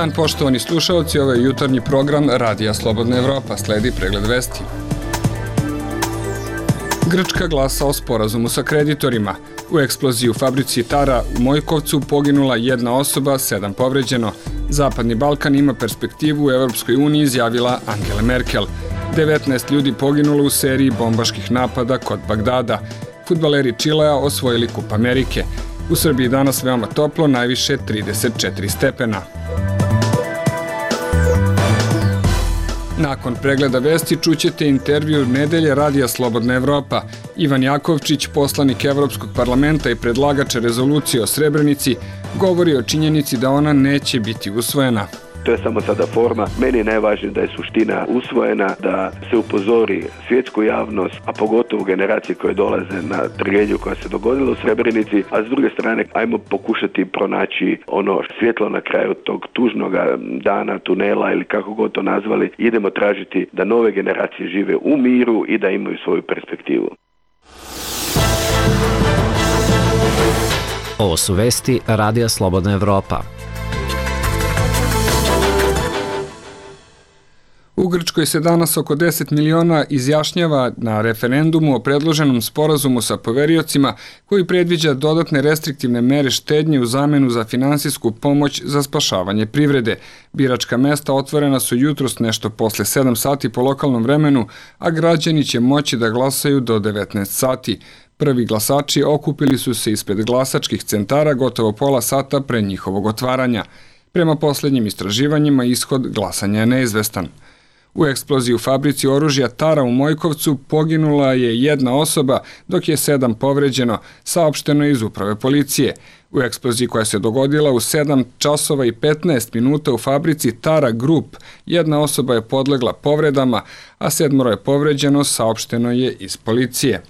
dan, poštovani slušalci, ovo je jutarnji program Radija Slobodna Evropa, sledi pregled vesti. Grčka glasa o sporazumu sa kreditorima. U eksploziji u fabrici Tara u Mojkovcu poginula jedna osoba, 7 povređeno. Zapadni Balkan ima perspektivu u Evropskoj uniji, izjavila Angela Merkel. 19 ljudi poginulo u seriji bombaških napada kod Bagdada. Fudbaleri Čilea osvojili Kup Amerike. U Srbiji danas veoma toplo, najviše 34 stepena. Nakon pregleda vesti čućete intervju nedelje Radija Slobodna Evropa. Ivan Jakovčić, poslanik Evropskog parlamenta i predlagač rezolucije o Srebrenici, govori o činjenici da ona neće biti usvojena. To je samo sada forma. Meni je najvažnije da je suština usvojena, da se upozori svjetsku javnost, a pogotovo generacije koje dolaze na tragediju koja se dogodila u Srebrenici, a s druge strane ajmo pokušati pronaći ono svjetlo na kraju tog tužnog dana, tunela ili kako god to nazvali. Idemo tražiti da nove generacije žive u miru i da imaju svoju perspektivu. Ovo su vesti Radija Slobodna Evropa. U Grčkoj se danas oko 10 miliona izjašnjava na referendumu o predloženom sporazumu sa poveriocima koji predviđa dodatne restriktivne mere štednje u zamenu za finansijsku pomoć za spašavanje privrede. Biračka mesta otvorena su jutros nešto posle 7 sati po lokalnom vremenu, a građani će moći da glasaju do 19 sati. Prvi glasači okupili su se ispred glasačkih centara gotovo pola sata pre njihovog otvaranja. Prema poslednjim istraživanjima ishod glasanja je neizvestan. U eksploziji u fabrici oružja Tara u Mojkovcu poginula je jedna osoba, dok je 7 povređeno, saopšteno iz uprave policije. U eksploziji koja se dogodila u 7 časova i 15 minuta u fabrici Tara Group, jedna osoba je podlegla povredama, a 7 je povređeno, saopšteno je iz policije.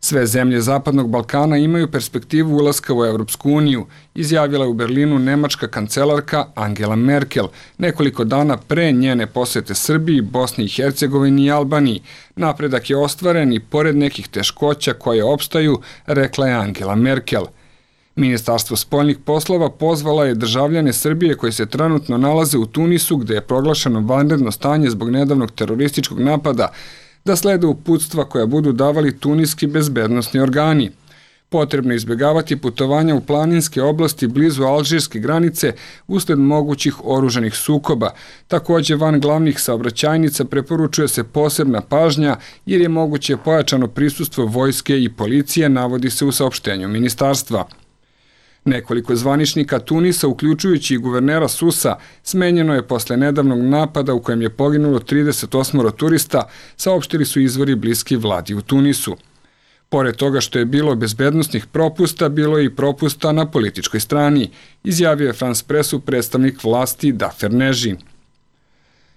Sve zemlje Zapadnog Balkana imaju perspektivu ulaska u Evropsku uniju, izjavila je u Berlinu nemačka kancelarka Angela Merkel nekoliko dana pre njene posete Srbiji, Bosni i Hercegovini i Albaniji. Napredak je ostvaren i pored nekih teškoća koje opstaju, rekla je Angela Merkel. Ministarstvo spoljnih poslova pozvala je državljane Srbije koji se trenutno nalaze u Tunisu, gde je proglašeno vanredno stanje zbog nedavnog terorističkog napada, da slede uputstva koja budu davali tuniski bezbednosni organi. Potrebno je izbjegavati putovanja u planinske oblasti blizu alžirske granice usled mogućih oružanih sukoba. Takođe, van glavnih saobraćajnica preporučuje se posebna pažnja jer je moguće pojačano prisustvo vojske i policije, navodi se u saopštenju ministarstva. Nekoliko zvaničnika Tunisa, uključujući i guvernera Susa, smenjeno je posle nedavnog napada u kojem je poginulo 38 turista, saopštili su izvori bliski vladi u Tunisu. Pored toga što je bilo bezbednosnih propusta, bilo je i propusta na političkoj strani, izjavio je France Pressu predstavnik vlasti Dafer Neži.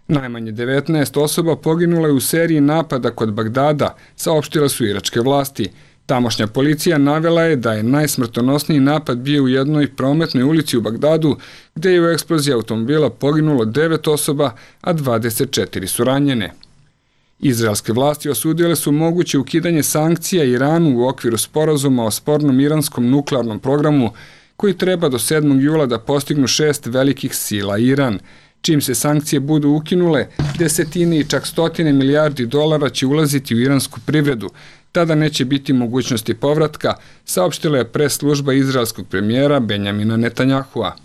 Najmanje 19 osoba poginulo je u seriji napada kod Bagdada, saopštile su iračke vlasti. Tamošnja policija navela je da je najsmrtonosniji napad bio u jednoj prometnoj ulici u Bagdadu, gde je u eksploziji automobila poginulo 9 osoba, a 24 su ranjene. Izraelske vlasti osudile su moguće ukidanje sankcija Iranu u okviru sporazuma o spornom iranskom nuklearnom programu, koji treba do 7. jula da postignu 6 velikih sila Iran. Čim se sankcije budu ukinule, desetine i čak stotine milijardi dolara će ulaziti u iransku privredu. Tada neće biti mogućnosti povratka, saopštila je pres služba izraelskog premijera Benjamina Netanjahua.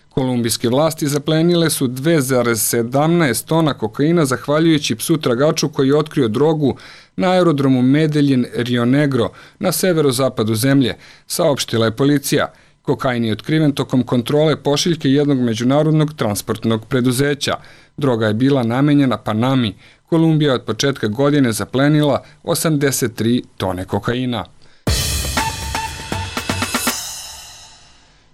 Kolumbijske vlasti zaplenile su 2,17 tona kokaina zahvaljujući psu tragaču koji je otkrio drogu na aerodromu Medellin Rio Negro na severozapadu zemlje, saopštila je policija. Kokain je otkriven tokom kontrole pošiljke jednog međunarodnog transportnog preduzeća. Droga je bila namenjena Panami. Kolumbija od početka godine zaplenila 83 tone kokaina.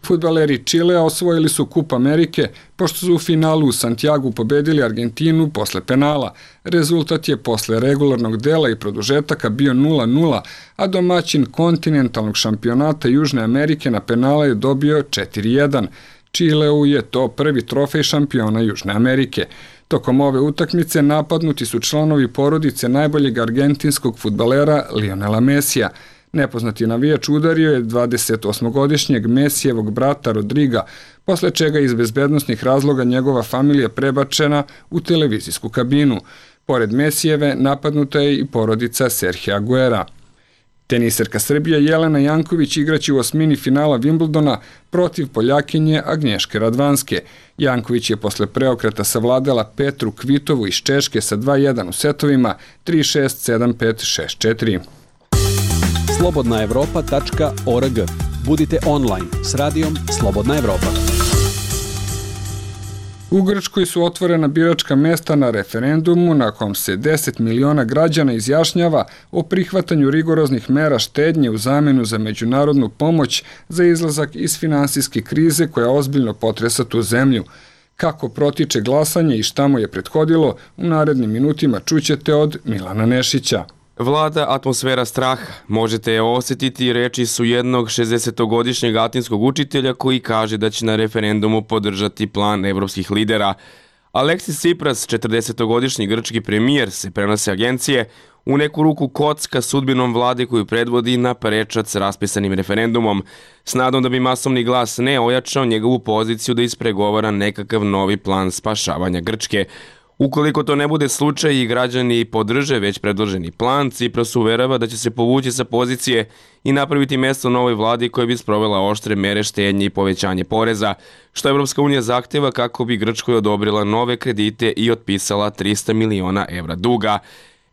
Fudbaleri Čilea osvojili su Kup Amerike, pošto su u finalu u Santiagu pobedili Argentinu posle penala. Rezultat je posle regularnog dela i produžetaka bio 0-0, a domaćin kontinentalnog šampionata Južne Amerike na penale je dobio 4-1. Čileu je to prvi trofej šampiona Južne Amerike. Tokom ove utakmice napadnuti su članovi porodice najboljeg argentinskog fudbalera Lionela Mesija. Nepoznati navijač udario je 28-godišnjeg Mesijevog brata Rodriga, posle čega je iz bezbednosnih razloga njegova familija prebačena u televizijsku kabinu. Pored Mesijeve napadnuta je i porodica Serhija Aguera. Teniserka Srbije Jelena Janković igraće u osmini finala Wimbledona protiv Poljakinje Agnješke Radvanske. Janković je posle preokreta savladala Petru Kvitovu iz Češke sa 2-1 u setovima 3-6, 7-5, 6-4. slobodnaevropa.org. Budite online s radijom Slobodna Evropa. U Grčkoj su otvorena biračka mesta na referendumu na kom se 10 miliona građana izjašnjava o prihvatanju rigoroznih mera štednje u zamenu za međunarodnu pomoć za izlazak iz finansijske krize koja ozbiljno potresa tu zemlju. Kako protiče glasanje i šta mu je prethodilo, u narednim minutima čućete od Milana Nešića. Vlada atmosfera straha. Možete je osjetiti, reči su jednog 60-godišnjeg atinskog učitelja koji kaže da će na referendumu podržati plan evropskih lidera. Aleksis Tsipras, 40-godišnji grčki premijer, se prenose agencije, u neku ruku kocka sudbinom vlade koju predvodi na prečac s raspisanim referendumom, s nadom da bi masovni glas ne ojačao njegovu poziciju da ispregovara nekakav novi plan spašavanja Grčke. Ukoliko to ne bude slučaj i građani podrže već predloženi plan, Tsipras uverava da će se povući sa pozicije i napraviti mesto novoj vladi koja bi sprovela oštre mere štednje i povećanje poreza, što Evropska unija zahteva kako bi Grčkoj odobrila nove kredite i otpisala 300 miliona evra duga.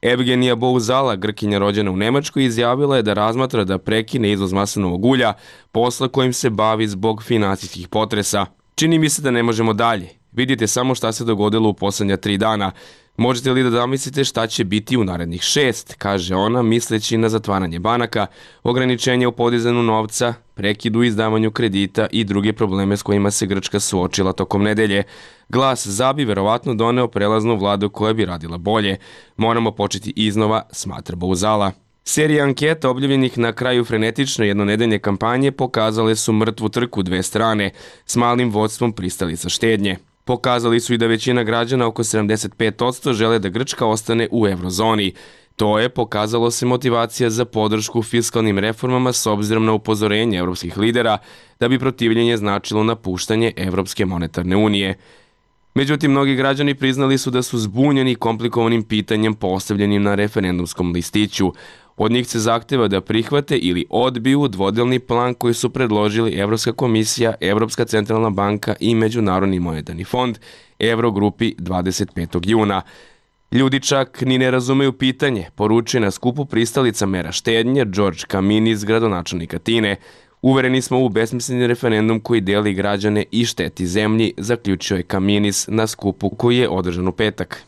Evgenija Bouzala, Grkinja rođena u Nemačkoj, izjavila je da razmatra da prekine izvoz maslinovog ulja, posla kojim se bavi zbog finansijskih potresa. Čini mi se da ne možemo dalje. Vidite samo šta se dogodilo u poslednja 3 dana. Možete li da zamislite šta će biti u narednih 6, kaže ona, misleći na zatvaranje banaka, ograničenje u podizanju novca, prekid u izdavanju kredita i druge probleme s kojima se Grčka suočila tokom nedelje. Glas za bi verovatno doneo prelaznu vladu koja bi radila bolje. Moramo početi iznova, smatra Bouzala. Serija anketa objavljenih na kraju frenetične jednonedeljne kampanje pokazale su mrtvu trku dve strane s malim vodstvom pristalica štednje. Pokazali su i da većina građana, oko 75%, žele da Grčka ostane u eurozoni. To je, pokazalo se, motivacija za podršku fiskalnim reformama s obzirom na upozorenje evropskih lidera da bi protivljenje značilo napuštanje Evropske monetarne unije. Međutim, mnogi građani priznali su da su zbunjeni komplikovanim pitanjem postavljenim na referendumskom listiću. Od njih se zahteva da prihvate ili odbiju dvodelni plan koji su predložili Evropska komisija, Evropska centralna banka i Međunarodni monetarni fond Evrogrupi 25. juna. Ljudi čak ni ne razumeju pitanje, poručuje na skupu pristalica mera štednje George Kaminis, gradonačelnik Atine. Uvereni smo u besmisleni referendum koji deli građane i šteti zemlji, zaključio je Kaminis na skupu koji je održan u petak.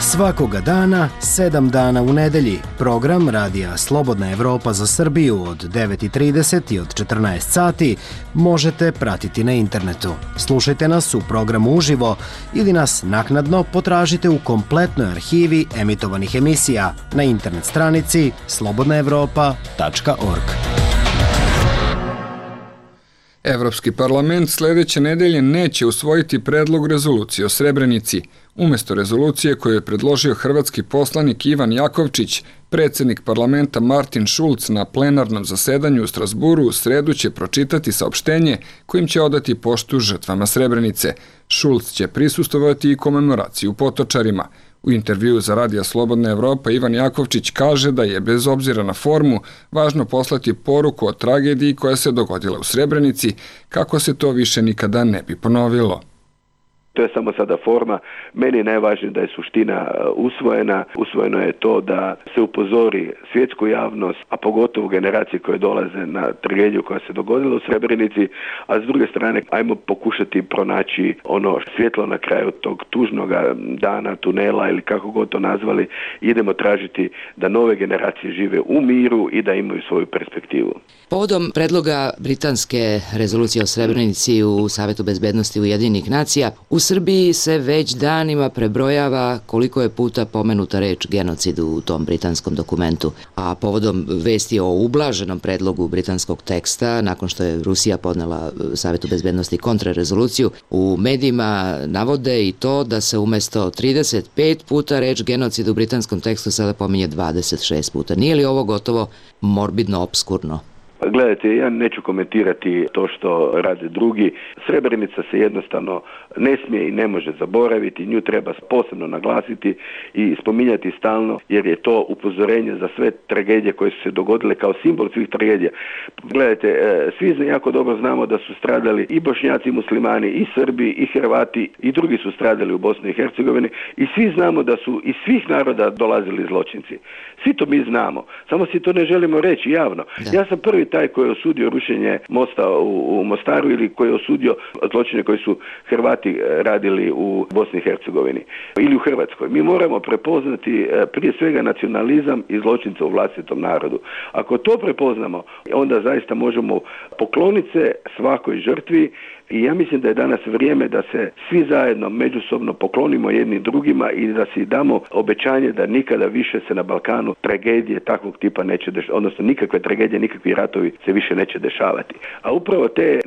Svakoga dana, 7 dana u nedelji, program Radija Slobodna Evropa za Srbiju od 9:30 i od 14 sati možete pratiti na internetu. Slušajte nas u programu uživo ili nas naknadno potražite u kompletnoj arhivi emitovanih emisija na internet stranici slobodnaevropa.org. Evropski parlament sledeće nedelje neće usvojiti predlog rezolucije o Srebrenici. Umesto rezolucije koju je predložio hrvatski poslanik Ivan Jakovčić, predsjednik parlamenta Martin Schulz na plenarnom zasedanju u Strasburu u sredu će pročitati saopštenje kojim će odati poštu žrtvama Srebrenice. Schulz će prisustvovati i komemoraciju Potočarima. U intervjuu za Radija Slobodna Evropa Ivan Jakovčić kaže da je bez obzira na formu važno poslati poruku o tragediji koja se dogodila u Srebrenici, kako se to više nikada ne bi ponovilo. To je samo sada forma. Meni je najvažnije da je suština usvojena. Usvojeno je to da se upozori svjetsku javnost, a pogotovo generacije koje dolaze na tragediju koja se dogodila u Srebrenici, a s druge strane ajmo pokušati pronaći ono svjetlo na kraju tog tužnog dana, tunela ili kako god to nazvali. Idemo tražiti da nove generacije žive u miru i da imaju svoju perspektivu. Povodom predloga britanske rezolucije o Srebrenici u Savetu bezbednosti Ujedinjenih nacija, u Srbiji se već danima prebrojava koliko je puta pomenuta reč genocid u tom britanskom dokumentu, a povodom vesti o ublaženom predlogu britanskog teksta, nakon što je Rusija podnela Savetu bezbednosti kontrarezoluciju, u medijima navode i to da se umesto 35 puta reč genocid u britanskom tekstu sada pominje 26 puta. Nije li ovo gotovo morbidno obskurno? Gledajte, ja neću komentirati to što rade drugi. Srebrenica se jednostavno ne smije i ne može zaboraviti, nju treba posebno naglasiti i spominjati stalno, jer je to upozorenje za sve tragedije koje su se dogodile kao simbol svih tragedija. Gledajte, svi jako dobro znamo da su stradali i Bošnjaci, i Muslimani, i Srbi, i Hrvati, i drugi su stradali u Bosni i Hercegovini i svi znamo da su iz svih naroda dolazili zločinci. Svi to mi znamo, samo si to ne želimo reći javno. Ja sam prvi taj koji je osudio rušenje mosta u Mostaru ili koji je osudio zločine koji su Hrvati radili u Bosni i Hercegovini ili u Hrvatskoj. Mi moramo prepoznati prije svega nacionalizam i zločince u vlastitom narodu. Ako to prepoznamo, onda zaista možemo pokloniti se svakoj žrtvi. I ja mislim da je danas vrijeme da se svi zajedno međusobno poklonimo jedni drugima i da si damo obećanje da nikada više se na Balkanu tragedije takvog tipa neće dešavati, odnosno nikakve tragedije, nikakvi ratovi se više neće dešavati. A upravo te,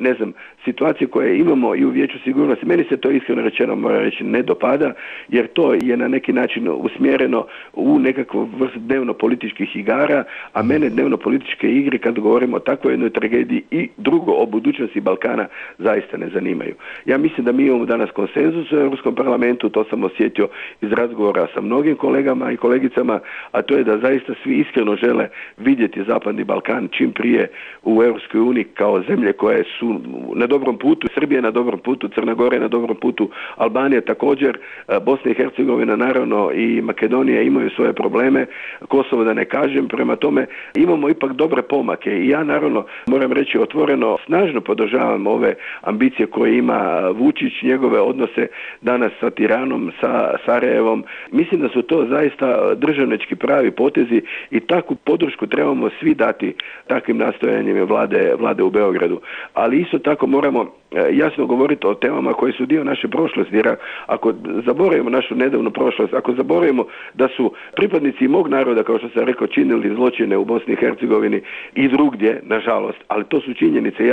situacije koje imamo i u Vijeću sigurnosti, meni se to iskreno rečeno, moram reći, ne dopada, jer to je na neki način usmjereno u nekakvu vrstu dnevno-političkih igara, a mene dnevno-političke igre, kad govorimo o takvoj jednoj tragediji i drugo o budućnosti Balkana, zaista ne zanimaju. Ja mislim da mi imamo danas konsenzus u Europskom parlamentu, to sam osjetio iz razgovora sa mnogim kolegama i kolegicama, a to je da zaista svi iskreno žele vidjeti Zapadni Balkan čim prije u Europskoj uniji kao zemlje koje su na dobrom putu, Srbija je na dobrom putu, Crna Gora je na dobrom putu, Albanija također, Bosna i Hercegovina naravno i Makedonija imaju svoje probleme, Kosovo da ne kažem, prema tome imamo ipak dobre pomake i ja naravno moram reći otvoreno, snažno podržavam ove ambicije koje ima Vučić, njegove odnose danas sa Tiranom, sa Sarajevom. Mislim da su to zaista državnički pravi potezi i takvu podršku trebamo svi dati takvim nastojanjima vlade u Beogradu. Ali isto tako moramo jasno govoriti o temama koje su dio naše prošlosti, jer ako zaboravimo našu nedavnu prošlost, ako zaboravimo da su pripadnici mog naroda, kao što sam rekao, činili zločine u Bosni i Hercegovini i drugdje, nažalost, ali to su činjenice,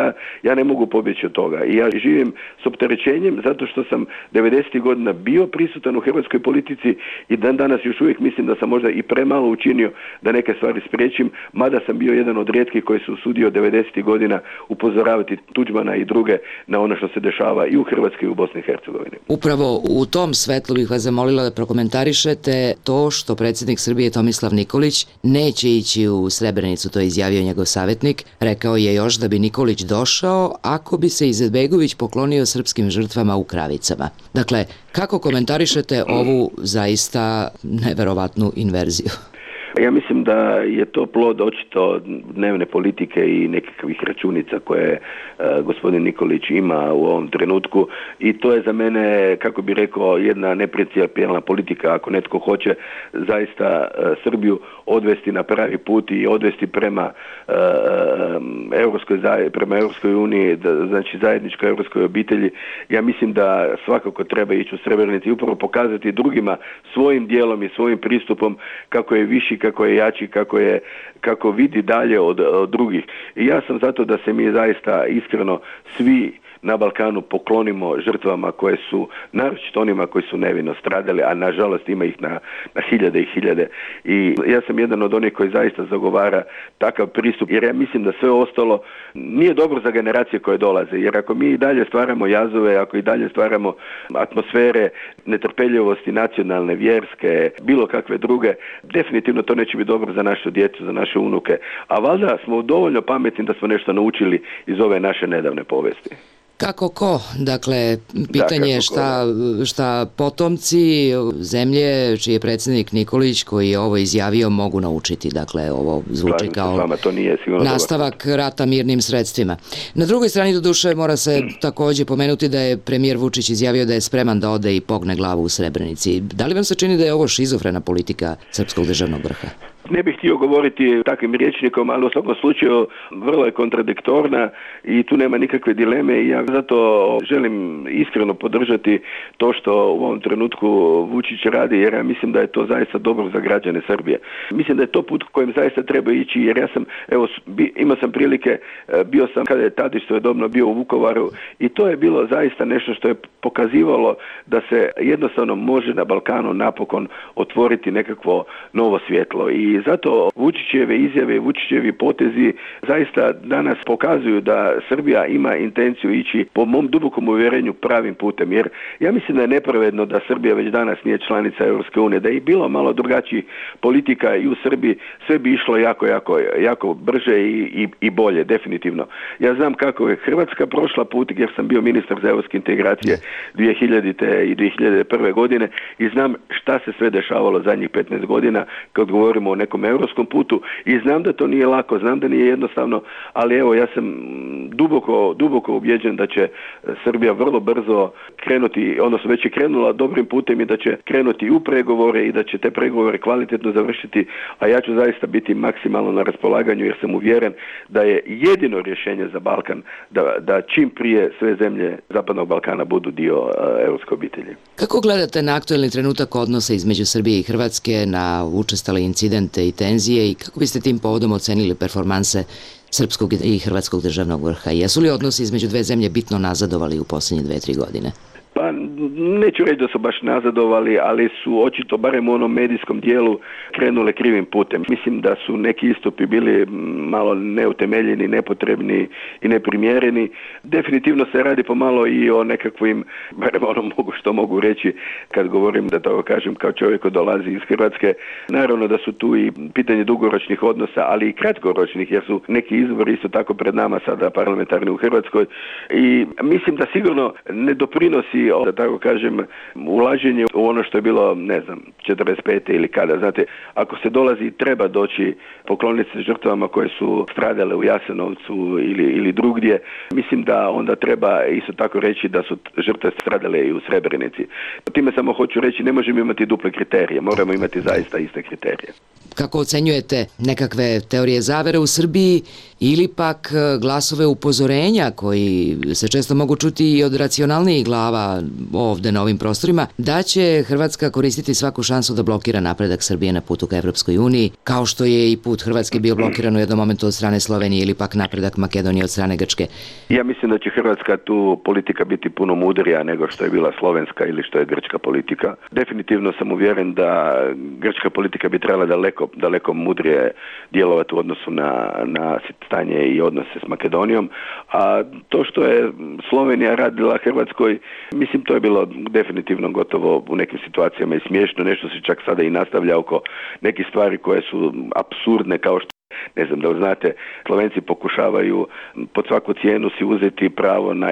ja ne mogu pobjeći od toga i ja živim s opterećenjem zato što sam 90. godina bio prisutan u hrvatskoj politici i dan danas još uvijek mislim da sam možda i premalo učinio da neke stvari spriječim, mada sam bio jedan od rijetkih koji su usudio 90. godina upozoravati Tuđmana i druge na ono što se dešava i u Hrvatskoj i u Bosni i Hercegovini. Upravo u tom svetlu bih vas zamolila da prokomentarišete to što predsjednik Srbije Tomislav Nikolić neće ići u Srebrenicu, to je izjavio njegov savjetnik. Rekao je još da bi Nikolić došao ako bi se Izetbegović poklonio srpskim žrtvama u Kravicama. Dakle, kako komentarišete ovu zaista neverovatnu inverziju? Ja mislim da je to plod očito dnevne politike i nekakvih računica koje gospodin Nikolić ima u ovom trenutku i to je za mene, kako bi rekao, jedna neprincipijelna politika. Ako netko hoće zaista Srbiju odvesti na pravi put i odvesti prema Europskoj uniji, znači zajedničkoj europskoj obitelji, ja mislim da svakako treba ići u Srebrenici i upravo pokazati drugima svojim dijelom i svojim pristupom kako je viši, kako je jači, kako vidi dalje od drugih. I ja sam zato da se mi zaista iskreno svi na Balkanu poklonimo žrtvama koje su, naročito onima koji su nevino stradali, a nažalost ima ih na hiljade i hiljade. I ja sam jedan od onih koji zaista zagovara takav pristup, jer ja mislim da sve ostalo nije dobro za generacije koje dolaze, jer ako mi i dalje stvaramo jazove, ako i dalje stvaramo atmosfere netrpeljivosti nacionalne, vjerske, bilo kakve druge, definitivno to neće biti dobro za našu djecu, za naše unuke. A valjda smo dovoljno pametni da smo nešto naučili iz ove naše nedavne povesti. Kako ko? Dakle, pitanje je šta potomci zemlje čiji je predsjednik Nikolić koji je ovo izjavio mogu naučiti. Dakle, ovo zvuči kao nastavak rata mirnim sredstvima. Na drugoj strani doduše mora se također pomenuti da je premijer Vučić izjavio da je spreman da ode i pogne glavu u Srebrenici. Da li vam se čini da je ovo šizofrena politika srpskog državnog vrha? Ne bih htio govoriti takvim rječnikom, ali u svakom slučaju vrlo je kontradiktorna i tu nema nikakve dileme i ja zato želim iskreno podržati to što u ovom trenutku Vučić radi, jer ja mislim da je to zaista dobro za građane Srbije. Mislim da je to put kojim zaista treba ići, jer ja sam, imao sam prilike, bio sam kada je Tadić svojedobno bio u Vukovaru i to je bilo zaista nešto što je pokazivalo da se jednostavno može na Balkanu napokon otvoriti nekakvo novo svjetlo i zato Vučićeve izjave, Vučićevi potezi zaista danas pokazuju da Srbija ima intenciju ići po mom dubokom uvjerenju pravim putem, jer ja mislim da je nepravedno da Srbija već danas nije članica Europske unije, da je bilo malo drugačijih politika i u Srbiji sve bi išlo jako brže i bolje, definitivno. Ja znam kako je Hrvatska prošla put jer sam bio ministar za europske integracije 2000. i 2001. godine i znam šta se sve dešavalo zadnjih 15 godina kad govorimo o nekom europskom putu i znam da to nije lako, znam da nije jednostavno, ali evo ja sam duboko ubjeđen da će Srbija vrlo brzo krenuti, odnosno već je krenula dobrim putem i da će krenuti u pregovore i da će te pregovore kvalitetno završiti, a ja ću zaista biti maksimalno na raspolaganju jer sam uvjeren da je jedino rješenje za Balkan da čim prije sve zemlje Zapadnog Balkana budu dio europske obitelji. Kako gledate na aktuelni trenutak odnosa između Srbije i Hrvatske, na učestale incidente i tenzije i kako biste tim povodom ocenili performanse srpskog i hrvatskog državnog vrha? Jesu li odnosi između dve zemlje bitno nazadovali u posljednje 2-3 godine? Pa neću reći da su baš nazadovali, ali su očito barem u onom medijskom dijelu krenule krivim putem. Mislim da su neki istupi bili malo neutemeljeni, nepotrebni i neprimjereni. Definitivno se radi pomalo i o nekakvim, barem što mogu reći kad govorim, da tako kažem, kao čovjek koji dolazi iz Hrvatske. Naravno da su tu i pitanje dugoročnih odnosa, ali i kratkoročnih, jer su neki izbori isto tako pred nama sada parlamentarni u Hrvatskoj i mislim da sigurno ne doprinosi, da tako kažem, ulaženje u ono što je bilo, 45. ili kada. Znate, ako se dolazi i treba doći pokloniti se žrtvama koje su stradale u Jasenovcu ili drugdje, mislim da onda treba isto tako reći da su žrtve stradale i u Srebrenici. Time samo hoću reći, ne možemo imati duple kriterije, moramo imati zaista iste kriterije. Kako ocenjujete nekakve teorije zavere u Srbiji ili pak glasove upozorenja koji se često mogu čuti i od racionalnijih glava ovde na ovim prostorima, da će Hrvatska koristiti svaku šansu da blokira napredak Srbije na putu ka Evropskoj uniji, kao što je i put Hrvatske bio blokiran u jednom momentu od strane Slovenije ili pak napredak Makedonije od strane Grčke? Ja mislim da će Hrvatska tu politika biti puno mudrija nego što je bila slovenska ili što je grčka politika. Definitivno sam uvjeren da grčka politika bi trebala daleko mudrije djelovati u odnosu na stanje i odnose s Makedonijom, a to što je Slovenija radila Hrvatskoj, mislim to je bilo definitivno gotovo u nekim situacijama i smiješno, nešto se čak sada i nastavlja oko nekih stvari koje su apsurdne, kao što da znate, Slovenci pokušavaju pod svaku cijenu si uzeti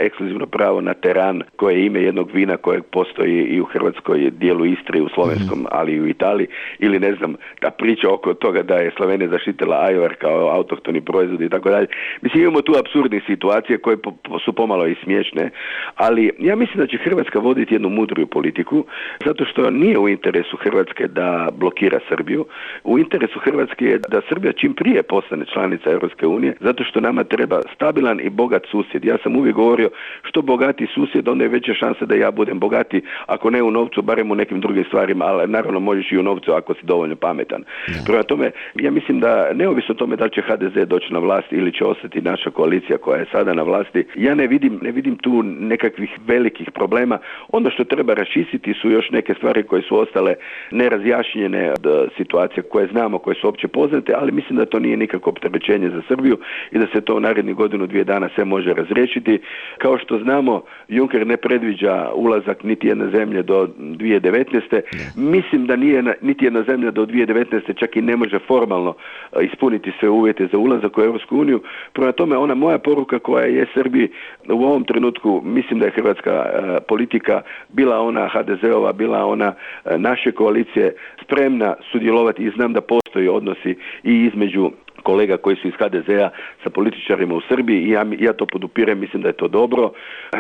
ekskluzivno pravo na teran koje je ime jednog vina kojeg postoji i u Hrvatskoj dijelu Istre, u slovenskom, ali i u Italiji, ili ta priča oko toga da je Slovenija zaštitila ajvar kao autohtoni proizvod i tako dalje. Mislim, imamo tu apsurdne situacije koje su pomalo i smiješne, ali ja mislim da će Hrvatska voditi jednu mudriju politiku, zato što nije u interesu Hrvatske da blokira Srbiju. U interesu Hrvatske je da Srbija čim prije postane članica Europske unije, zato što nama treba stabilan i bogat susjed. Ja sam uvijek govorio, što bogati susjed, onda je veća šansa da ja budem bogati, ako ne u novcu, barem u nekim drugim stvarima, ali naravno možeš i u novcu ako si dovoljno pametan. Prema tome, ja mislim da neovisno o tome da li će HDZ doći na vlast ili će ostati naša koalicija koja je sada na vlasti, ja ne vidim tu nekakvih velikih problema. Ono što treba raščistiti su još neke stvari koje su ostale nerazjašnjene od situacije koje znamo, koje su opće poznate, ali mislim da to nije nikakvo opterećenje za Srbiju i da se to u narednih godinu, 2 dana sve može razriješiti. Kao što znamo, Juncker ne predviđa ulazak niti jedne zemlje do 2019. Mislim da nije niti jedna zemlja do 2019. čak i ne može formalno ispuniti sve uvjete za ulazak u Europsku uniju. Prema tome, ona moja poruka koja je Srbiji u ovom trenutku, mislim da je hrvatska politika, bila ona HDZ-ova, bila ona naše koalicije, spremna sudjelovati i znam da postoji odnosi i između kolega koji su iz HDZ-a sa političarima u Srbiji i ja to podupirem, mislim da je to dobro.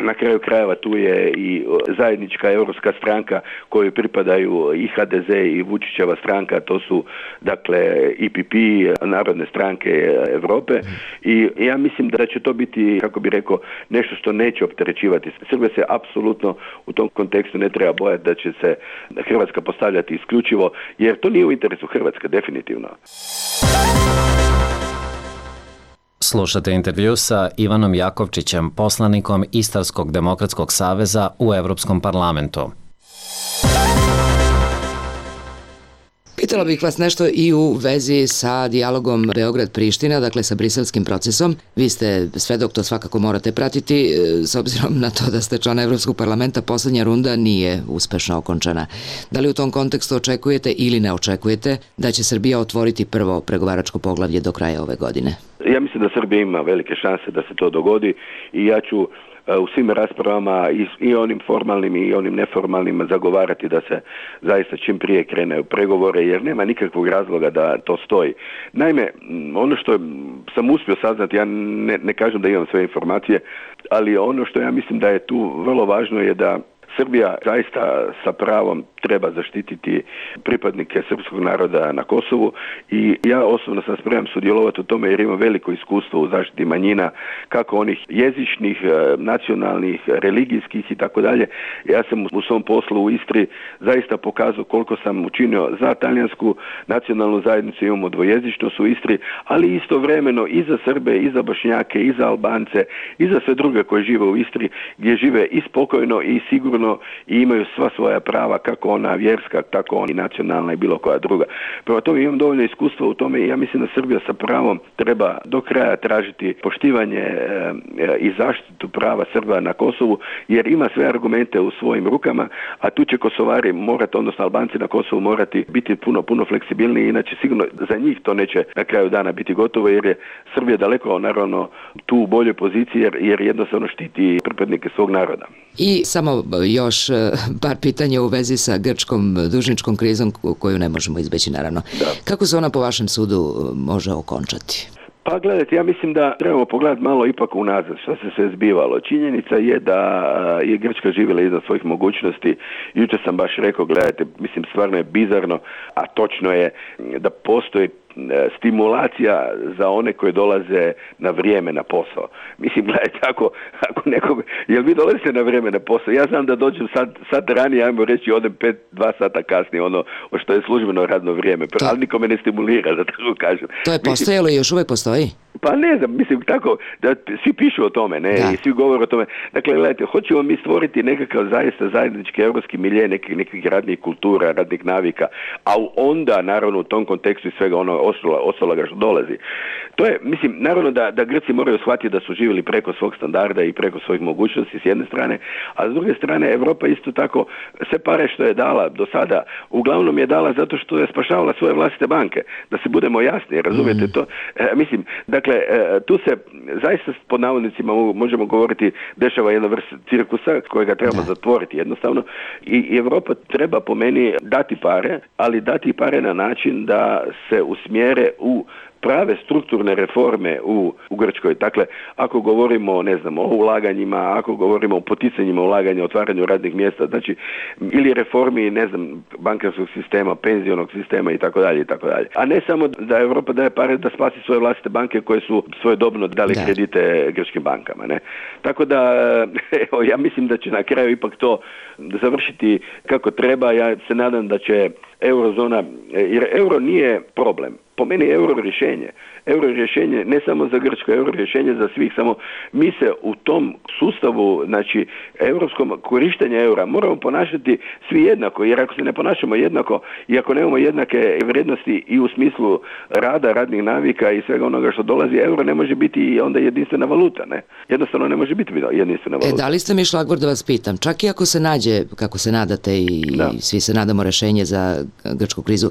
Na kraju krajeva tu je i zajednička europska stranka kojoj pripadaju i HDZ i Vučićeva stranka, to su dakle IPP, Narodne stranke Europe, i ja mislim da će to biti, kako bi rekao, nešto što neće opterećivati. Srbija se apsolutno u tom kontekstu ne treba bojati da će se Hrvatska postavljati isključivo, jer to nije u interesu Hrvatske, definitivno. Slušate intervju sa Ivanom Jakovčićem, poslanikom Istarskog demokratskog saveza u Evropskom parlamentu. Pitala bih vas nešto i u vezi sa dijalogom Beograd-Priština, dakle sa briselskim procesom. Vi ste svedok, to svakako morate pratiti, s obzirom na to da ste član Evropskog parlamenta, poslednja runda nije uspešno okončana. Da li u tom kontekstu očekujete ili ne očekujete da će Srbija otvoriti prvo pregovaračko poglavlje do kraja ove godine? Ja mislim da Srbija ima velike šanse da se to dogodi i ja ću u svim raspravama i onim formalnim i onim neformalnim zagovarati da se zaista čim prije krene u pregovore, jer nema nikakvog razloga da to stoji. Naime, ono što sam uspio saznati, ja ne kažem da imam sve informacije, ali ono što ja mislim da je tu vrlo važno je da Srbija zaista sa pravom treba zaštititi pripadnike srpskog naroda na Kosovu i ja osobno sam spreman sudjelovati u tome jer imam veliko iskustvo u zaštiti manjina, kako onih jezičnih, nacionalnih, religijskih i tako dalje. Ja sam u svom poslu u Istri zaista pokazao koliko sam učinio za talijansku nacionalnu zajednicu, imamo dvojezičnost u Istri, ali istovremeno i za Srbe, i za Bošnjake, i za Albance, i za sve druge koji žive u Istri, gdje žive i spokojno i sigurno i imaju sva svoja prava, kako ona vjerska, tako ona i nacionalna i bilo koja druga. Prema tome imam dovoljno iskustva u tome i ja mislim da Srbija sa pravom treba do kraja tražiti poštivanje i zaštitu prava Srba na Kosovu, jer ima sve argumente u svojim rukama, a tu će Kosovari morati, odnosno Albanci na Kosovu morati biti puno fleksibilniji, inače sigurno za njih to neće na kraju dana biti gotovo, jer je Srbija daleko naravno tu u boljoj poziciji, jer jednostavno štiti pripadnike svog naroda. I samo još par pitanja u vezi sa grčkom dužničkom krizom koju ne možemo izbeći, naravno. Da. Kako se ona po vašem sudu može okončati? Pa gledajte, ja mislim da trebamo pogledati malo ipak unazad što se sve zbivalo. Činjenica je da je Grčka živjela iznad svojih mogućnosti. Jučer sam baš rekao, gledajte, mislim stvarno je bizarno, a točno je da postoji stimulacija za one koji dolaze na vrijeme na posao. Mislim, gledajte, ako nekog, jel vi dolazite na vrijeme na posao? Ja znam da dođem sad ranije, ajmo reći, odem 2 sata kasnije, ono što je službeno radno vrijeme, ali nikome ne stimulira, da tako kažem. To je postojalo i još uvijek postoji? Pa ne znam, mislim tako, da svi pišu o tome, ne, da. I svi govore o tome. Dakle, gledajte, hoćemo mi stvoriti nekakav zaista zajednički evropski milje, nekih radnih kultura, radnih navika, a onda, naravno, u tom kontekstu i svega ono ostaloga što dolazi. To je, mislim, naravno da Grci moraju shvatiti da su živjeli preko svog standarda i preko svojih mogućnosti s jedne strane, a s druge strane Europa isto tako sve pare što je dala do sada, uglavnom je dala zato što je spašavala svoje vlastite banke. Da se budemo jasni, razumijete to? Mislim, dakle, tu se zaista pod navodnicima možemo govoriti dešava jedna vrsta cirkusa kojega trebamo zatvoriti jednostavno i Europa treba po meni dati pare, ali dati pare na način da se usmjere u prave strukturne reforme u Grčkoj. Dakle, ako govorimo, ne znam, o ulaganjima, ako govorimo o poticanjima ulaganja, otvaranju radnih mjesta, znači, ili reformi, ne znam, bankarskog sistema, penzionog sistema i tako dalje. A ne samo da Europa daje pare da spasi svoje vlastite banke koje su svojedobno dali kredite grčkim bankama, ne? Tako da, evo, ja mislim da će na kraju ipak to završiti kako treba. Ja se nadam da će eurozona, jer euro nije problem. Po meni je euro rješenje. Euro rješenje ne samo za Grčko, euro rješenje za svih, samo mi se u tom sustavu, znači europskom korištenja eura moramo ponašati svi jednako, jer ako se ne ponašamo jednako i ako nemamo jednake vrijednosti i u smislu rada, radnih navika i svega onoga što dolazi, euro ne može biti onda jedinstvena valuta, ne? Jednostavno ne može biti jedinstvena valuta. Da li ste mi, Šlagvor, da vas pitam, čak i ako se nađe, kako se nadate i svi se nadamo, rešenje za grčku krizu,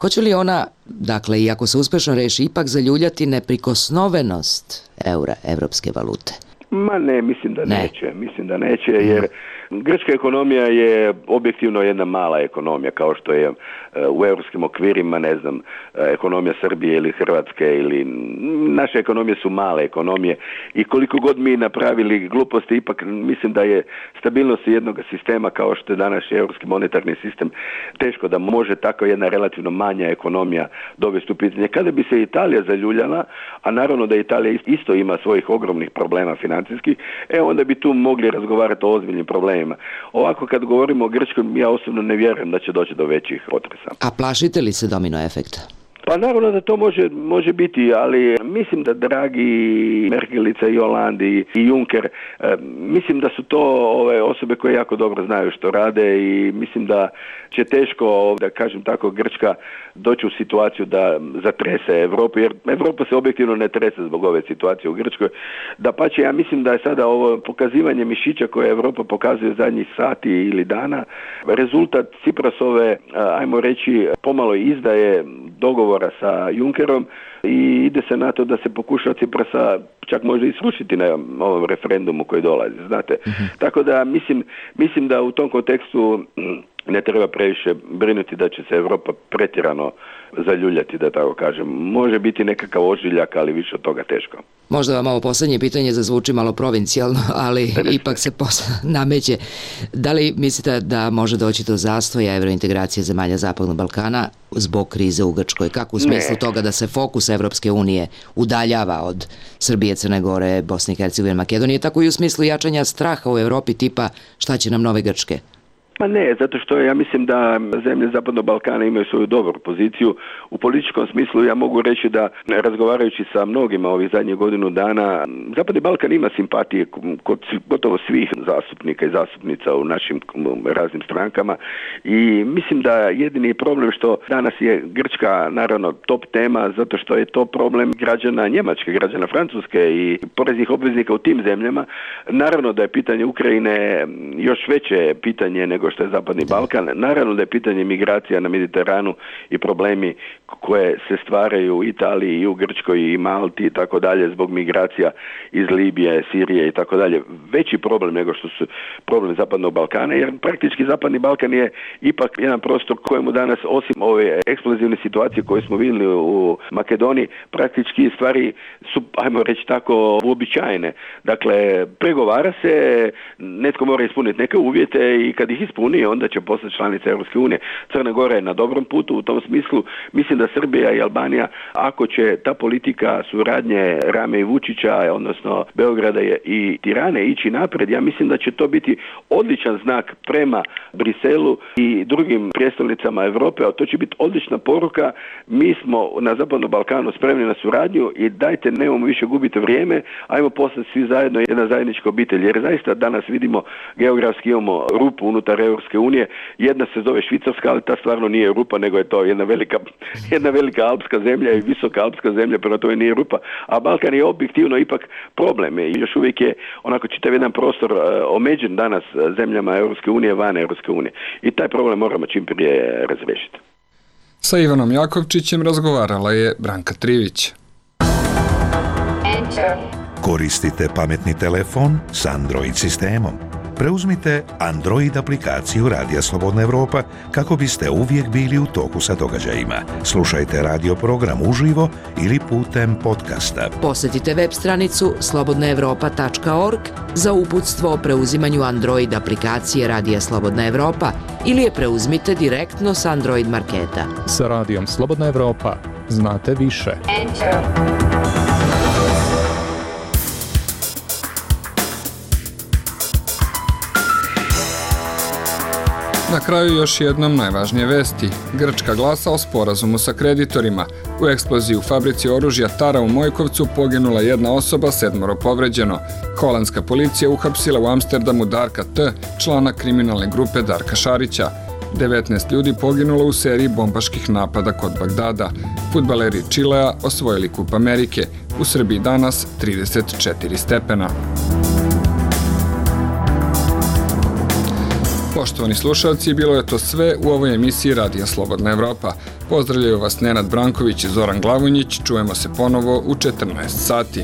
hoće li ona, dakle, i ako se uspešno reši, ipak zaljuljati neprikosnovenost eura, evropske valute? Ma ne, mislim da neće. Mislim da neće, jer Grčka ekonomija je objektivno jedna mala ekonomija, kao što je u europskim okvirima, ne znam, ekonomija Srbije ili Hrvatske ili naše ekonomije su male ekonomije i koliko god mi napravili gluposti, ipak mislim da je stabilnost jednog sistema kao što je danas europski monetarni sistem teško da može tako jedna relativno manja ekonomija dovesti u pitanje. Kada bi se Italija zaljuljala, a naravno da Italija isto ima svojih ogromnih problema financijskih, onda bi tu mogli razgovarati o ozbiljnim problemima. Ovako kad govorimo o Grčkoj, ja osobno ne vjerujem da će doći do većih potresa. A plašite li se domino efekta? Pa naravno da to može biti, ali mislim da Draghi, Merkelica i Hollande i Juncker, mislim da su to osobe koje jako dobro znaju što rade i mislim da će teško, da kažem tako, Grčka doći u situaciju da zatrese Europu, jer Europa se objektivno ne trese zbog ove situacije u Grčkoj. Dapače, ja mislim da je sada ovo pokazivanje mišića koje Europa pokazuje zadnjih sati ili dana rezultat Tsiprasove, ajmo reći, pomalo izdaje dogovora sa Junckerom i ide se na to da se pokuša Tsiprasa čak možda i srušiti na ovom referendumu koji dolazi, znate. Tako da mislim da u tom kontekstu ne treba previše brinuti da će se Europa pretjerano zaljuljati, da tako kažem. Može biti nekakav ožiljak, ali više od toga teško. Možda vam ovo posljednje pitanje zazvuči malo provincijalno, ali ipak se nameće. Da li mislite da može doći do zastoja evrointegracije zemalja Zapadnog Balkana zbog krize u Grčkoj? Kako u smislu toga da se fokus Evropske unije udaljava od Srbije, Crne Gore, Bosne i Hercegovine, Makedonije, tako i u smislu jačanja straha u Europi tipa šta će nam nove Grčke? Pa ne, zato što ja mislim da zemlje Zapadnog Balkana imaju svoju dobru poziciju. U političkom smislu ja mogu reći da, razgovarajući sa mnogima ovih zadnjih godinu dana, Zapadni Balkan ima simpatije kod gotovo svih zastupnika i zastupnica u našim raznim strankama i mislim da jedini problem što danas je Grčka naravno top tema, zato što je to problem građana Njemačke, građana Francuske i poreznih obveznika u tim zemljama. Naravno da je pitanje Ukrajine još veće pitanje nego što je Zapadni Balkan. Naravno da je pitanje migracija na Mediteranu i problemi koje se stvaraju u Italiji i u Grčkoj i Malti i tako dalje zbog migracija iz Libije, Sirije i tako dalje. Veći problem nego što su problem Zapadnog Balkana, jer praktički Zapadni Balkan je ipak jedan prostor kojemu danas, osim ove eksplozivne situacije koje smo vidjeli u Makedoniji, praktički stvari su, ajmo reći tako, uobičajene. Dakle, pregovara se, netko mora ispuniti neke uvjete i kad ih ispuni, onda će postati članica Europske unije. Crna Gora je na dobrom putu u tom smislu. Mislim da Srbija i Albanija, ako će ta politika suradnje Rame i Vučića, odnosno Beograda i Tirane ići napred, ja mislim da će to biti odličan znak prema Briselu i drugim prijestolnicama Europe, a to će biti odlična poruka. Mi smo na Zapadnom Balkanu spremni na suradnju i dajte, nemojmo više gubiti vrijeme, ajmo postati svi zajedno jedna zajednička obitelj. Jer zaista danas vidimo geografski imamo rupu unutar Europske unije. Jedna se zove Švicarska, ali ta stvarno nije rupa, nego je to jedna velika alpska zemlja i visoka alpska zemlja, prema tome nije rupa. A Balkan je objektivno ipak problem. I još uvijek je onako čitav jedan prostor omeđen danas zemljama Europske unije, van Europske unije. I taj problem moramo čim prije razriješiti. Sa Ivanom Jakovčićem razgovarala je Branka Trivić. Koristite pametni telefon s Android sistemom. Preuzmite Android aplikaciju Radija Slobodna Evropa kako biste uvijek bili u toku sa događajima. Slušajte radio program uživo ili putem podcasta. Posjetite web stranicu slobodnaevropa.org za uputstvo o preuzimanju Android aplikacije Radija Slobodna Evropa ili je preuzmite direktno s Android marketa. Sa Radijom Slobodna Evropa znate više. Na kraju još jednom najvažnije vesti. Grčka glasa o sporazumu sa kreditorima. U eksploziji u fabrici oružja Tara u Mojkovcu poginula jedna osoba, 7 povređeno. Holandska policija uhapsila u Amsterdamu Darka T., člana kriminalne grupe Darka Šarića. 19 ljudi poginulo u seriji bombaških napada kod Bagdada. Fudbaleri Čilea osvojili Kup Amerike. U Srbiji danas 34 stepena. Poštovani slušalci, bilo je to sve u ovoj emisiji Radija Slobodna Evropa. Pozdravljaju vas Nenad Branković i Zoran Glavonjić. Čujemo se ponovo u 14 sati.